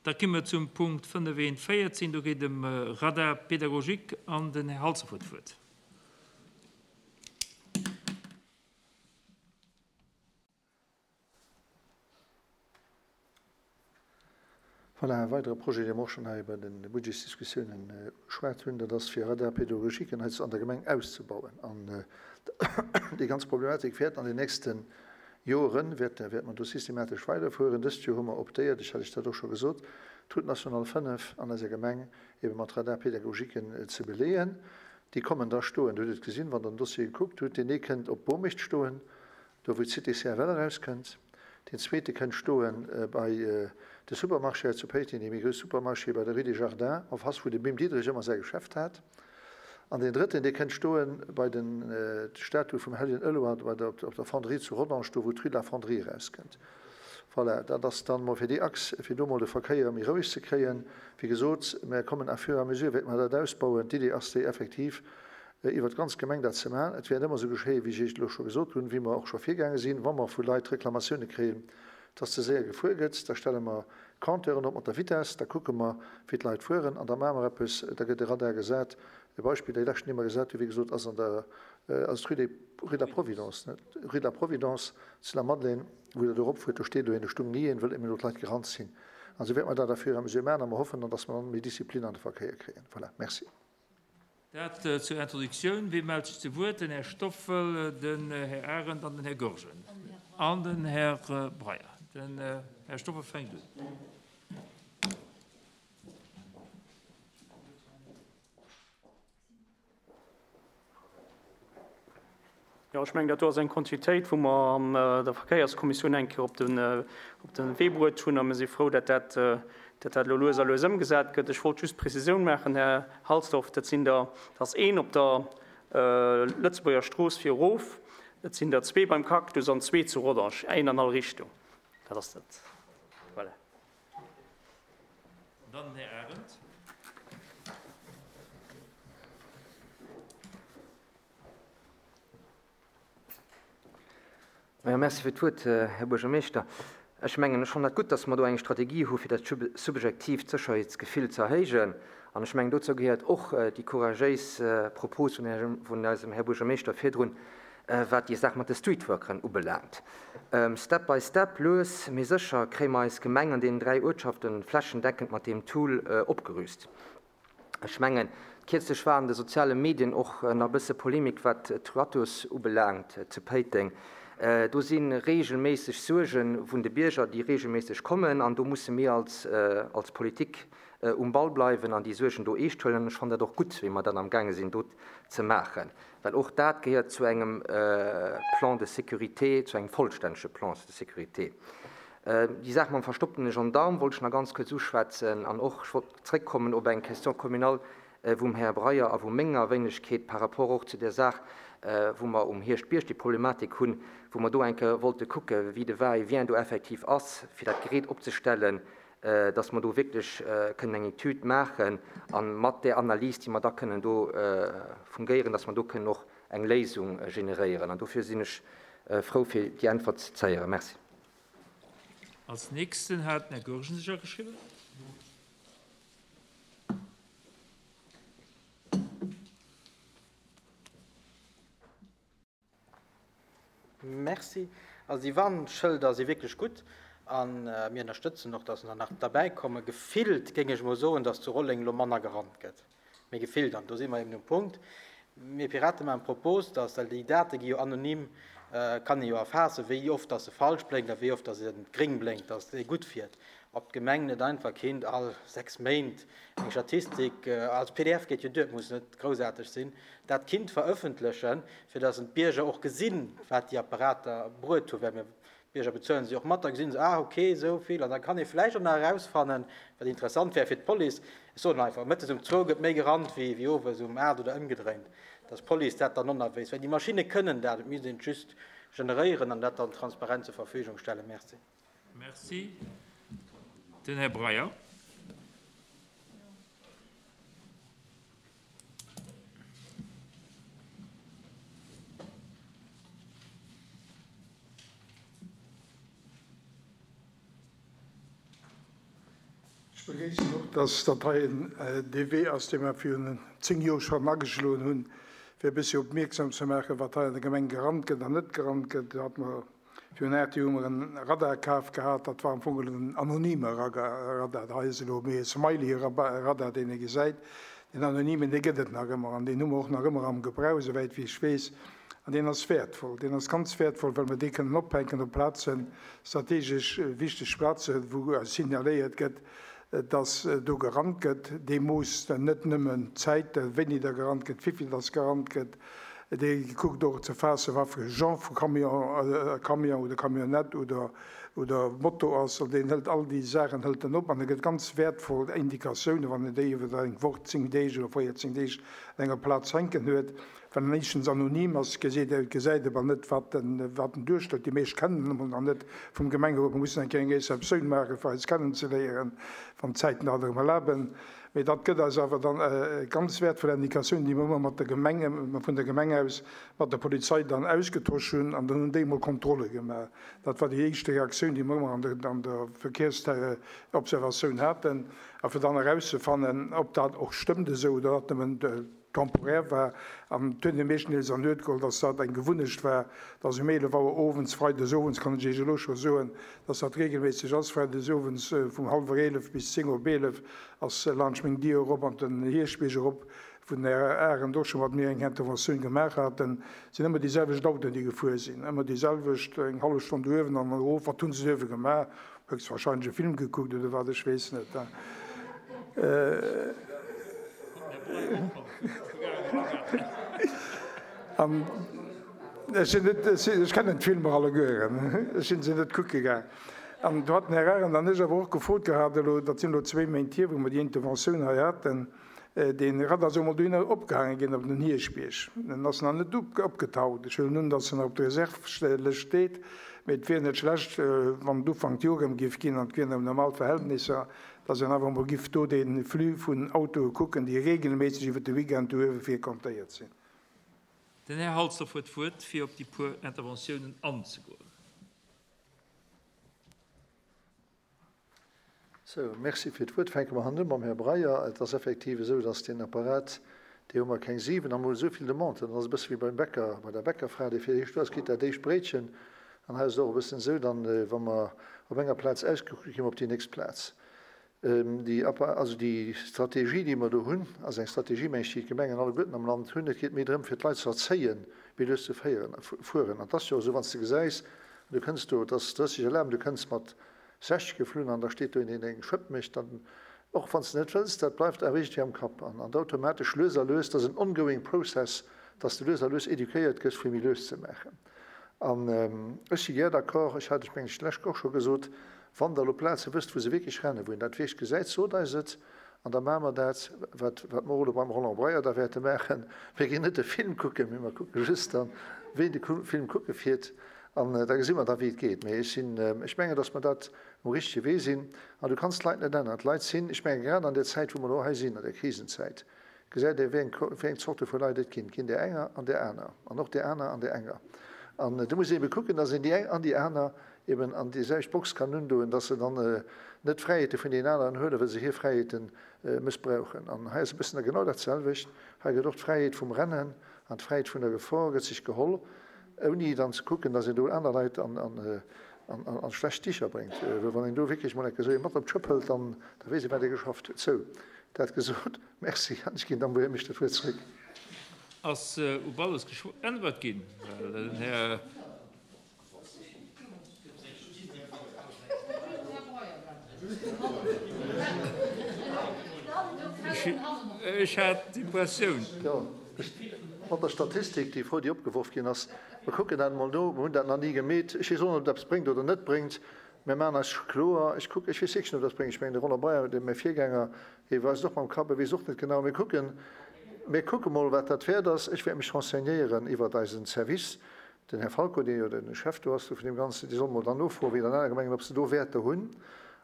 Da komme mer zum Punkt 5.1.14, do geet et ëm Radar pédagogique an den Här Halsdorf huet d'Wuert. Voilà, e weidere Projet, dee mer och schonn hei bei de Budgetsdiskussiounen ugeschwat hunn, dat ass fir Radar-pédagogiquen hei an der Gemeng auszebauen. An déi ganz Problematik wäert an den nächste Joren, wäerte mer do systematesch weiderfueren. Dëst Joer hu mer optéiert, ech hat Iech dat och scho gesot, d'Route nationale 5 an eiser Gemeng ebe mat Radar-pédagogiquen ze beleeën. Déi kommen da stoen, Dir hutt et gesinn, wann Der den Dossier gekuckt hutt, deen ee kënnt op Bomecht stoen, do wou d'Cité CFL erauskënnt. Deen zweete kënnt stoe bei de Supermarché hei zu Péiteng, dee méi grouss Supermarché bei der Rue des Jardins, en face wou de Bim Diederich ëmmer säi Geschäft hat. An deen drëtten, dee kënnt stoe bei den d'Statue vum Hellegen Eloy bei der op der Fonderie zu Rodange, do wou d'Rue de la Fonderie erauskënnt. Voilà, dat ass dann emol fir déi Achs, fir do emol de Verkéier méi roueg ze kréien. Wéi gesot, mer kommen à fur et à mesure wäerte mer dat ausbauen. D'Idee ass déi effektiv, iwwert d'ganz Gemeng dat ze maachen. Et wäert ëmmer esou geschéien, wéi ech Iech et elo scho gesot hunn, wéi mer och scho virgaange sinn. Wa mer vu Leit Reklamatioune kréien, dass ze séier gefuer gëtt, da stelle mer Compteuren op mat der Vitess, da kucke mer, wéi d'Leit fueren an da maache mer eppes, da gëtt e Radar gesat. E Beispill, dee leschten, dee mer gesat hunn, wéi gesot, ass an der, ass d'Rue des, Rue de la Providence, net, Rue de la Providence zu Lamadelaine, wou Der do eropfuert, do steet elo een, do stung ni een, wëll eben elo d'Leit gerannt sinn. An esou wäerte mer dat à fur et à mesure maachen a mer hoffen dann, dass mer dann méi Disziplin an de Verkéier kréien. Voilà, merci. Dat zur Introductioun. Wie mellt sech zu Wuert? Den Här Stoffel, den Här Arendt an den Här Goergen an den Här Breyer. Den Här Stoffel fänkt un. Jo, ech mengen, dat do ass eng Kontinuitéit, wou mer an der Verkéierskommissioun eng Kéier op de, op de Wee bruet hunn. A mir si frou, datt dat, datt dat elo lues a lues ëmgesat gëtt. Ech wollt just d'Prezisioun maachen, Här Halsdorf, dat sinn der, dat ass een op der Lëtzebuerger Strooss fir erof, et sinn der zwee beim Cactus an zwee zu Rodange, een an all Richtung. Dat ass dat. Voilà. Dann den Här Arendt. Jo, merci fir d'Wuert, Här Buergermeeschter. Ech mengen, ech fannen dat gutt, dass mer do eng Strategie hu fir dat subjektiivt Sécherheetsgefill ze erhéijen. An ech mengen, dozou gehéiert och déi couragéis Propos vun eisem Här Buergermeeschter virdrun, wat déi Saach mat de Streetworkeren ubelaangt. Step by step, lues mee sécher, kréie mer eis Gemeng an deenen 3 Uertschaften flächendeckend mat deem Tool opgerüst. Ech mengen, kierzlech war an de soziale Medien och nach e bësse Polemik, wat d'Radios ubelaangt zu Péiteng. Do si reegelméisseg Suerge vun de Bierger, déi reegelméisseg kommen. An do musse mir als als Politik um Ball bleiwen an déi Suergen do eescht huelen. An ech fannen dat och gutt, wéi mer dat amgaange sinn do ze maachen, well och dat gehéiert zu engem Plan de sécurité, zu engem vollstännege Plan de sécurité. Déi Saach mam verstopptene Gendarme wollt ech nach ganz kuerz uschwätzen an och, ech wollt zréckkommen op eng Question communale vum Här Breyer a vu menger Wéinegkeet par rapport och zu där Saach, wou mer um Hierschtbierg déi Problematik hunn, wou mer do eng Kéier wollte kucke wéi de Va-et-vient do effektiv ass, fir dat Gerät opzestellen, dass mer do wierklech kënnen eng Etüd maachen a mat där Analys, déi mer da kënnen do fungéieren, dass mer do kënnen och eng Léisung generéieren. An dofir sinn ech frou, fir déi Äntwert ze héieren. Merci. Als nächsten hat den Här Goergen sech ageschriwwen. Merci. Also déi Warnschëlder si wierklech gutt a mir ënnerstëtzen och, dass der nach derbäikommen. Gefillt géing ech emol soen, dass zu Rolleng elo manner gerannt gëtt. Mee gefillt, an do si mer eben um Punkt, mir Piraten maachen d'Propos, dass, well déi Date gi jo anonym, kann ee jo erfaassen, wéi oft dass se falsch blénkt a wéi oft dass e gréng blénkt, dass ee gutt fiert, ob d'Gemeng net einfach kinnt all 6 Méint eng Statistik, als pdf geet jo duer, et muss net groussaarteg sinn, dat kinnt verëffentlechen, fir dass d'Bierger och gesinn, wat déi Apparater bruet hunn, well mir D'Bierger bezuelen se och mat, da gesinn se, ah ok, esou vill. An da kann ee vläicht och nach erausfannen, wat interessant wär fir d'Police, ech soen einfach, mëttes um zwou gëtt méi gerannt wéi wéi owes um 8 oder ëmgedréint, dass d'Police dat dann och nach wéisst. Well déi Maschinne kënnen dat, et misst een et just generéieren an dat dann transparent zur Verfügung stellen. Merci. Merci. Den Här Breyer. Ech begréissen och, dass dat hei dee Wee ass, dee mer virun 10 Joer schonn ageschloen hunn, fir e bëssi opmierksam ze maachen, wat hei an der Gemeng gerannt gëtt an net gerannt gëtt. Do hate mer virun 8 Joer hu mer e Radar kaf gehat, dat war am Fong en anonyme Radar. Hei ass elo méi e Smiley-Radar, deen ee gesäit. Deen anonymen, dee gëtt et nach ëmmer an deen hu mer och nach ëmmer am Gebrauch, esouwäit wéi ech weess. An deen ass wäertvoll. Deen ass ganz wäertvoll, well mer dee kënnen ophänken op Plazen, strategesch wichteg Plazen, wou signaléiert gëtt, dass do gerannt gëtt. Dee moosst net nëmmen d'Zäit, wéini da gerannt gëtt, wivill dass gerannt gëtt, dee kuckt och ze faassen, wat fir e Genre vu Camion, Camion oder Camionnette oder, oder Moto ass. An deen hëlt all déi Saachen hëlt en op an e gëtt ganz wäertvoll Indikatiounen, wann en déi iwwer eng Woch, 10 Deeg oder 14 Deeg an enger Plaz hänken huet. Well en éischtens anonym ass, gesäit e gesäit e bal net, wat en wat en duerstellt. Déi meescht kennen en emol nach net vum Gemengerot. Mer mussen eng Kéier eng Receptioun maachen, fir eis kennenzeléieren, wann d'Zäiten dat erëm erlaben. Mee dat gëtt eis awer dann ganz wäertvoll Indikatiounen, déi mer ëmmer mat der Gemeng, vun der Gemeng aus mat der Polizei dann ausgetosch hunn. An dann hunn déi emol Kontrolle gemaach. Dat war déi éischte Reaktioun, déi mer ëmmer an der an der Verkehrsobservatioun haten. A fir dann erauszefannen, ob dat och stëmmt esou oder dat nëmmen temporär war an et huet ee meeschtendeels an Nuet geholl, dass dat eng Gewunnecht war, dass um 11 Auer owends, freides owends kann ech Iech elo scho soen, dass dat regelméisseg ass, freides owends vum hallwer 11 bis 10 op 11 ass laanscht meng Dier erop an den Hierschtbierg erop, wou den Här Arendt och scho mat mir eng Interventioun gemaach haten, sinn ëmmer déi selwecht Autoen, déi gefuer sinn, ëmmer déi selwecht, eng hallef Stonn uewen an erof. Wat hu se uewe gemaach? Höchstwahrscheinlech e Film gekuckt oder wat, ech weess net. An ech sinn net, ech kennen d'Filmer allegueren, ech sinn se net kucke gaang. An do hat den Här Arendt an ech awer och gefrot gehat elo, dat sinn elo zwéi Méint hier, wou mer déi Interventioun hei haten, Dee Radar soll mol dohinner opgehaange ginn, op den Hierschbierg. En ass nach net opgetaucht. Ech huelen un, datt en nach op der Reserve-Lëscht steet. Mee et wier net schlecht, wann et Ufank d'Joer erëm giff ginn, an et wieren erëm normal Verhältnisser, datt een awer emol giff do dee Flux vun Autoe kucken, déi regelméisseg iwwer de Weekend do uewe frequentéiert sinn. Den Här Halsdorf huet d'Wuert, fir op déi puer Interventiounen anzegoen. Sou, merci fir d'Wuert. Fänke mer hannen u mam Här Breyer. Et ass effektiv esou, dass deen Apparat, dee hu mer keng 7 a mer hu esou vill Demanden. Dat ass e bësse wéi beim Bäcker, bei der Bäckerfra, déi fir d'éischt do ass, kritt dat éischt Bréitchen. An hei ass et och e bëssen esou, dann, wa mer op enger Plaz ausgekuckt gi mer op déi nächst Plaz. Déi Appa, also déi Strategie, déi mer do hunn, ass eng Strategie, meng ech, déi d'Gemengen alleguerten am Land hunn. Et geet méi drëm, fir d'Leit ze erzéien, méi lues ze féieren, fueren. An et ass jo och esou, wann s de gesäis, du kënns do, et ass 30 erlaabt, du kënns mat 60 geflunn an da steet do een, deen eng Schëpp mécht, dann, och wann s de net wëlls, dat bleift awer iergendwéi am Kapp an an automatesch lues a lues, dat ass en ongoing process, dass de lues a lues éduquéiert gëss fir méi lues ze maachen. An ech si gär d'accord, ech hat ech mengen ech d'lescht och scho gesot, wann der elo Plaze wësst wou se wierklech rennen, wou een dat wierklech gesäit, sot eis et an da maache mer dat, wat wat mer och elo beim Roland Breyer da wäerte maachen, mir ginn net de Film kucken, mee mer kucke just dann, ween de Film kucke fiert An da gesi mer da wéi et geet. Mee ech sinn, ech mengen, datt mer dat um richtege Wee sinn. An du kanns d'Leit net änneren. D'Leit sinn, ech menge grad an där Zäit wou mer elo hei sinn, an där Krisenzäit, gesäit ee wéi eng, wéi eng Zorte vu Leit et ginn. Et ginn där enger an där aner an och där aner an där enger. An do muss een ebe kucken, datt een déi eng an déi aner eben an déi selwecht Box kann undoen, datt se dann net d'Fräiheete vun deenen aneren huelen, well se hir Fräiheete mëssbrauchen. An hei ass e bëssen genau dat selwecht. Hei gëtt och d'Fräiheet vum Rennen an d'Fräiheet vun der Gefor gëtt sech geholl. Ouni dann ze kucken, dass een do aner Leit an schlecht Dicher bréngt. Well wann een do wierklech mol eng Kéier esou ee mat op d'Schëpp hëlt, dann da weess ee wat ee geschafft huet. Sou, dat gesot, Merci an ech ginn dann wou heemlech dat Wuert zréck. Ass op alles geäntwert ginn? Well den Här. Ech hat d'Impressioun. Jo, mat der Statistik, déi Fro, déi opgeworf ginn ass, mer kucken dat emol no, mer hunn dat nach ni gemeet. Ech weess och net, ob dat eppes bréngt oder net bréngt. Mir maachen eis kloer, ech kucken, ech weess wierklech net, ob dat eppes bréngt. Ech mengen, de Roland Breyer, dee mäi Virgänger, hie weist och mam Kapp, e weess och net genau. Mir kucken, mir kucke mol, wat dat wäert ass. Ech wäert mech renseignéieren iwwert eisen Service, Den Här Falco, dee jo de Chef do ass vun deem Ganzen, dee soll mol dann nofroen, wéi et an anere Gemengen, ob se do Wäerter hunn,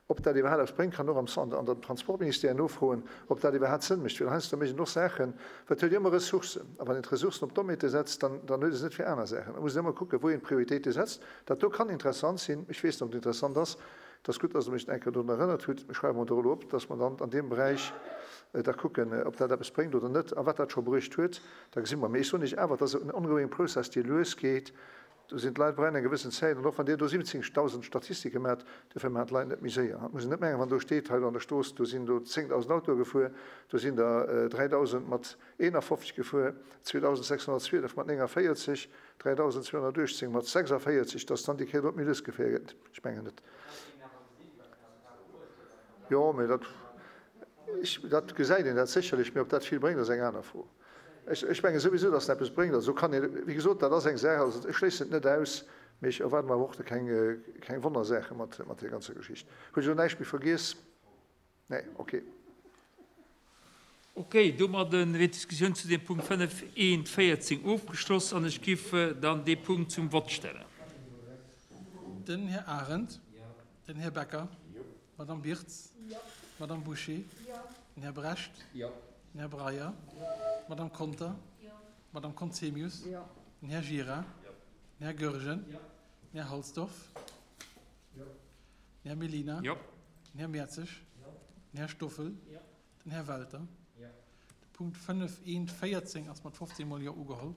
ob dat iwwerhaapt eppes bréngt, kann och am an dem Transportministère nofroen, ob dat iwwerhaapt Sënn mécht, well heiansdo mécht een och Saachen, well et huet jo ëmmer Ressourcen, a wann een d'Ressourcen op Dommheete setzt, dann dann huet ee se net fir aner Saachen. Da muss een ëmmer kucken, wou een d'Prioritéite setzt. Dat do kann interessant sinn, ech weess net, ob et interessant ass. Et ass gutt, dass Der mech eng Kéier drun erënnert hutt. Mir schreiwe mer do elo op, dass mer dann an deem Beräich da kucken, ob dat eppes bréngt oder net a wat dat scho bruecht huet. Da gesi mer. Mee ech soen Iech awer, et ass en ongoing process, dee lues geet. Do sinn d'Leit brauchen eng gewëssen Zäit. An och wann Dir do 17.000 Statistike maacht, dofir maachen d'Leit net méi séier. Et muss een net mengen, wann do steet, hei do an der Strooss, do sinn do 10.000 Autoe gefuer, do sinn der 3.000 mat 51 gefuer, 2.612 mat 49, 3.218 mat 46, dass dann déi Kéier do méi lues gefuer gëtt. Ech mengen net. Jo, mee dat, ech, dat gesäit een dat sécherlech, mee ob dat vill bréngt, ass eng aner Fro. Ech, ech menge souwisou, dass en eppes bréngt. Also kann een, wéi gesot, dat ass eng Saach, also ech schléissen et net aus, mee ech erwaarde mer awer och do keng, keng Wonnersaache mat, mat där ganzer Geschicht. Hunn ech elo näischt méi vergiess? Nee, okay. Okay, domadde wier d'Diskussioun zu deem Punkt 5 1 14 ofgeschloss an ech giff dann dee Punkt zum Vott stellen. Den Här Arendt. Den Här Becker. D'Madame Birtz. D'Madame Bouché. Den Här Brecht. Den Här Breyer. D'Madame Conter. D'Madame Conzemius. Den Här Gira. Den Här Goergen. Den Här Halsdorf. Den Här Mellina. Den Här Mertzig. Den Här Stoffel. Den Här Welter. De Punkt 5 1 14 ass mat 15 mol Jo ugeholl.